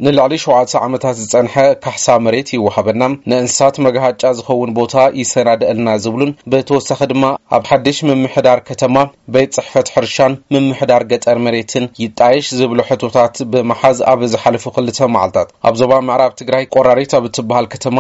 ንልዕሊ ሸውዓተ ዓመታት ዝጸንሐ ካሕሳ መሬት ይወሃበና፣ ንእንስሳት መግሃጫ ዝኸውን ቦታ ይሰናደእልና ዝብሉን ብተወሳኺ ድማ ኣብ ሓድሽ ምምሕዳር ከተማ ቤት ጽሕፈት ሕርሻን ምምሕዳር ገጠር መሬትን ይጣየሽ ዝብሉ ሕቶታት ብምሓዝ ኣብ ዝሓለፉ ክልተ መዓልታት ኣብ ዞባ ምዕራብ ትግራይ ቆራሪት ኣብ እትበሃል ከተማ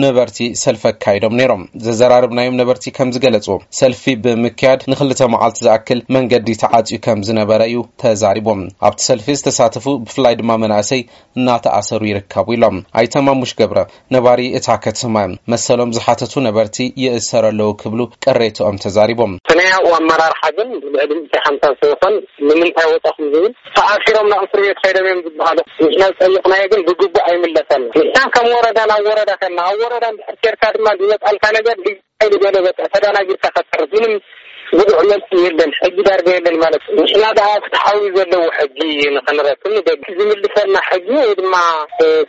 ነበርቲ ሰልፊ ኣካይዶም ነይሮም። ዘዘራርብናዮም ነበርቲ ከም ዝገለጽዎ ሰልፊ ብምክያድ ንክልተ መዓልቲ ዝኣክል መንገዲ ተዓጽዩ ከም ዝነበረ እዩ ተዛሪቦም። ኣብቲ ሰልፊ ዝተሳተፉ ብፍላይ ድማ መናእሰይ እናተኣሰሩ ይርከቡ ኢሎም። ኣይተ ማሙሽ ገብረ ነባሪ እታ ከተማ እዮም። መሰሎም ዝሓተቱ ነበርቲ ይእሰሩ ኣለዉ ክብሉ ቅሬትኦም ተዛሪቦም። እቲ ናይ ኣብኡ ኣመራርሓ ግን ልዕሊ ሚእቲ ሓምሳ ሰብ ይኾን ንምንታይ ወጻኹም ዝብል ተኣሲሮም ናብ እስር ቤት ከይዶም እዮም ዝበሃሉ። ንሕና ዝጠየቕናዮ ግን ብግቡእ ኣይምለሰልና። ንሕና ከም ወረዳ ናብ ወረዳ ከና ኣብ ወረዳ እንድሕር ኬርካ ድማ ዝመጻልካ ነገር ሓይሊ ገለ በቃ ተደናጊርካ ከተርፍ ምንም ብቑዕ መልሲ የለን። ሕጊ ዳርጋ የለን ማለት እዩ። ንሕና ደኣ ፍትሓዊ ዘለዎ ሕጊ ንኽንረክብ ንደሊ። ዝምልሰልና ሕጊ ወይ ድማ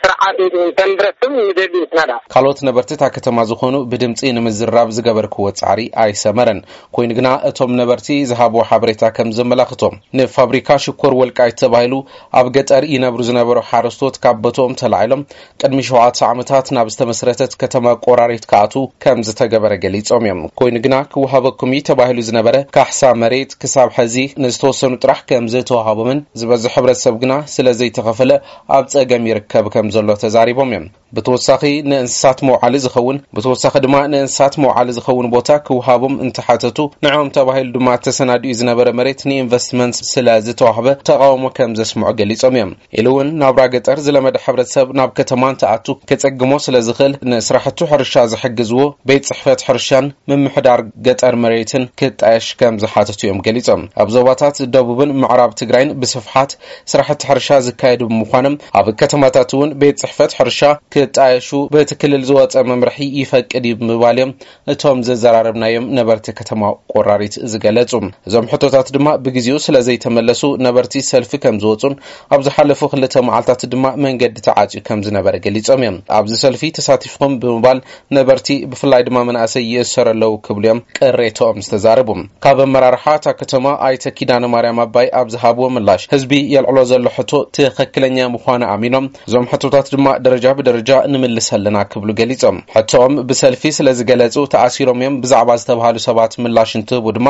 ስርዓት እንተንረክብ ንደሊ ንሕና ደኣ። ካልኦት ነበርቲ እታ ከተማ ዝኾኑ ብድምፂ ንምዝራብ ዝገበርክዎ ፃዕሪ ኣይሰመረን። ኮይኑ ግና እቶም ነበርቲ ዝሃብዎ ሓበሬታ ከም ዘመላኽቶ ንፋብሪካ ሽኮር ወልቃይት ተባሂሉ ኣብ ገጠር ይነብሩ ዝነበሩ ሓረስቶት ካብ ቦትኦም ተላዒሎም ቅድሚ ሸውዓተ ዓመታት ናብ ዝተመስረተት ከተማ ቆራሪት ክኣትዉ ከም ዝተገበረ ገሊጾም እዮም። ኮይኑ ግና ክወሃበኩም እዩ ተባሂሉ ዝነበረ ካሕሳ መሬት ክሳብ ሕዚ ንዝተወሰኑ ጥራሕ ከም ዝተወሃቦምን ዝበዝሕ ሕብረተሰብ ግና ስለ ዘይተኸፈለ ኣብ ጸገም ይርከብ ከም ዘሎ ተዛሪቦም እዮም። ብተወሳኺ ንእንስሳት መውዓሊ ዝኸውን ብተወሳኺ ድማ ንእንስሳት መውዓሊ ዝኸውን ቦታ ክወሃቦም እንተሓተቱ ንዕኦም ተባሂሉ ድማ ተሰናዲኡ ዝነበረ መሬት ንኢንቨስትመንት ስለ ዝተዋህበ ተቃውሞ ከም ዘስምዑ ገሊጾም እዮም። ኢሉ እውን ናብራ ገጠር ዝለመደ ሕብረተሰብ ናብ ከተማ እንትኣቱ ከጸግሞ ስለ ዝኽእል ንስራሕቱ ሕርሻ ዝሕግዝዎ ቤት ጽሕፈት ሕርሻን ምምሕዳር ገጠር መሬትን ክጣየሽ ከም ዝሓተቱ እዮም ገሊጾም። ኣብ ዞባታት ደቡብን ምዕራብ ትግራይን ብስፍሓት ስራሕቲ ሕርሻ ዝካየዱ ብምዃኖም ኣብ ከተማታት እውን ቤት ጽሕፈት ሕርሻ ክጣየሹ በቲ ክልል ዝወጸ መምርሒ ይፈቅድ እዩ ብምባል እዮም እቶም ዘዘራረብናዮም ነበርቲ ከተማ ቆራሪት ዝገለጹ። እዞም ሕቶታት ድማ ብግዜኡ ስለ ዘይተመለሱ ነበርቲ ሰልፊ ከም ዝወጹን ኣብ ዝሓለፉ ክልተ መዓልታት ድማ መንገዲ ተዓጽዩ ከም ዝነበረ ገሊጾም እዮም። ኣብዚ ሰልፊ ተሳቲፍኩም ብምባል ነበርቲ ብፍላይ ድማ መናእሰይ ይእሰሩ ኣለዉ ክብሉ እዮም ቅሬትኦም ዝተዛረቡ። ካብ ኣመራርሓ እታ ከተማ ኣይተ ኪዳነ ማርያም ኣባይ ኣብ ዝሃብዎ ምላሽ ህዝቢ የልዕሎ ዘሎ ሕቶ ትኽክለኛ ምዃኑ ኣሚኖም እዞም ሕቶታት ድማ ደረጃ ብደረጃ ንምልስ ኣለና ክብሉ ገሊጾም። ሕቶኦም ብሰልፊ ስለ ዝገለጹ ተኣሲሮም እዮም ብዛዕባ ዝተባሃሉ ሰባት ምላሽ እንትህቡ ድማ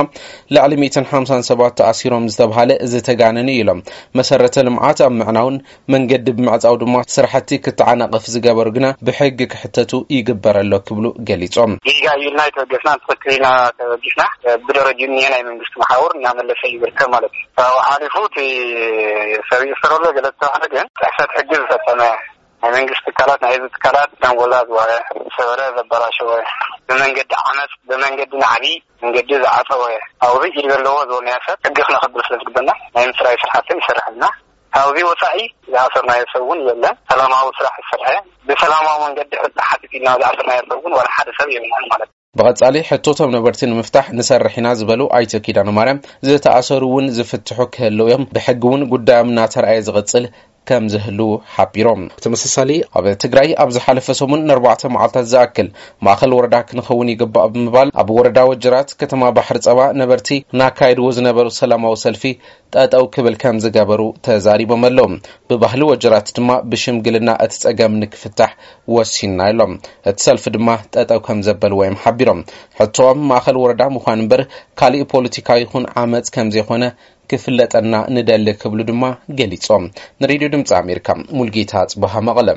ልዕሊ ሚእትን ሓምሳን ሰባት ተኣሲሮም ዝተባሃለ ዝተጋነነ እዩ ኢሎም። መሰረተ ልምዓት ኣብ ምዕናውን መንገዲ ብምዕጻው ድማ ስራሕቲ ክተዓናቐፍ ዝገበሩ ግና ብሕጊ ክሕተቱ ይግበር ኣሎ ክብሉ ገሊጾም። ጌጋ እዩ ኢልና ኣይተበገስና፣ ትኽክል ኢልና ተበጊስና። ብደረጅኡ እኒሀ ናይ መንግስቲ መሓውር እናመለሰ እዩ ዝርከብ ማለት እዩ። ካብኡ ሓሊፉ እቲ ሰብ ይእሰር ኣሎ ገለ ዝተባህለ ግን ጥሕሰት ሕጊ ዝፈጸመ ናይ መንግስቲ ትካላት፣ ናይ ህዝቢ ትካላት ዳንጎላ ዝበለ፣ ሰበረ ዘበላሸወ፣ ብመንገዲ ዓመፅ፣ ብመንገዲ ናዕቢ መንገዲ ዝዓፀወ፣ ኣብዚ ኢድ ዘለዎ ዝበልናዮ ሰብ ሕጊ ክነኽብር ስለ ዝግበና ናይ ምፅራይ ስራሕትን ይሰርሕ ኣለና። ካብዚ ወፃኢ ዝኣሰርናዮ ሰብ እውን የለን። ሰላማዊ ስራሕ ዝሰርሐ፣ ብሰላማዊ መንገዲ ሕጊ ሓቲት ኢልና ዝኣሰርናዮ ሰብ እውን ዋላ ሓደ ሰብ የብልናን ማለት እዩ። ብቐጻሊ ሕቶቶም ነበርቲ ንምፍታሕ ንሰርሕ ኢና ዝበሉ ኣይተ ኪዳነ ማርያም ዝተኣሰሩ እውን ዝፍትሑ ክህልው እዮም። ብሕጊ እውን ጉዳዮም እናተረኣየ ዝቕጽል ከም ዝህልው ሓቢሮም። ብተመሳሳሊ ኣብ ትግራይ ኣብ ዝሓለፈ ሰሙን ንኣርባዕተ መዓልታት ዝኣክል ማእኸል ወረዳ ክንኸውን ይግባእ ብምባል ኣብ ወረዳ ወጀራት ከተማ ባሕሪ ጸባ ነበርቲ እናካየድዎ ዝነበሩ ሰላማዊ ሰልፊ ጠጠው ክብል ከም ዝገበሩ ተዛሪቦም ኣለዉ። ብባህሊ ወጀራት ድማ ብሽምግልና እቲ ጸገም ንክፍታሕ ወሲንና ኢሎም። እቲ ሰልፊ ድማ ጠጠው ከም ዘበልዎ እዮም ሓቢሮም። ሕቶኦም ማእኸል ወረዳ ምዃን እምበር ካሊእ ፖለቲካዊ ይኹን ዓመፅ ከም ዘይኮነ ክፍለጠና ንደሊ ክብሉ ድማ ገሊጾም። ንሬድዮ ድምፂ ኣሜሪካ ሙልጌታ ጽበሃ መቐለ።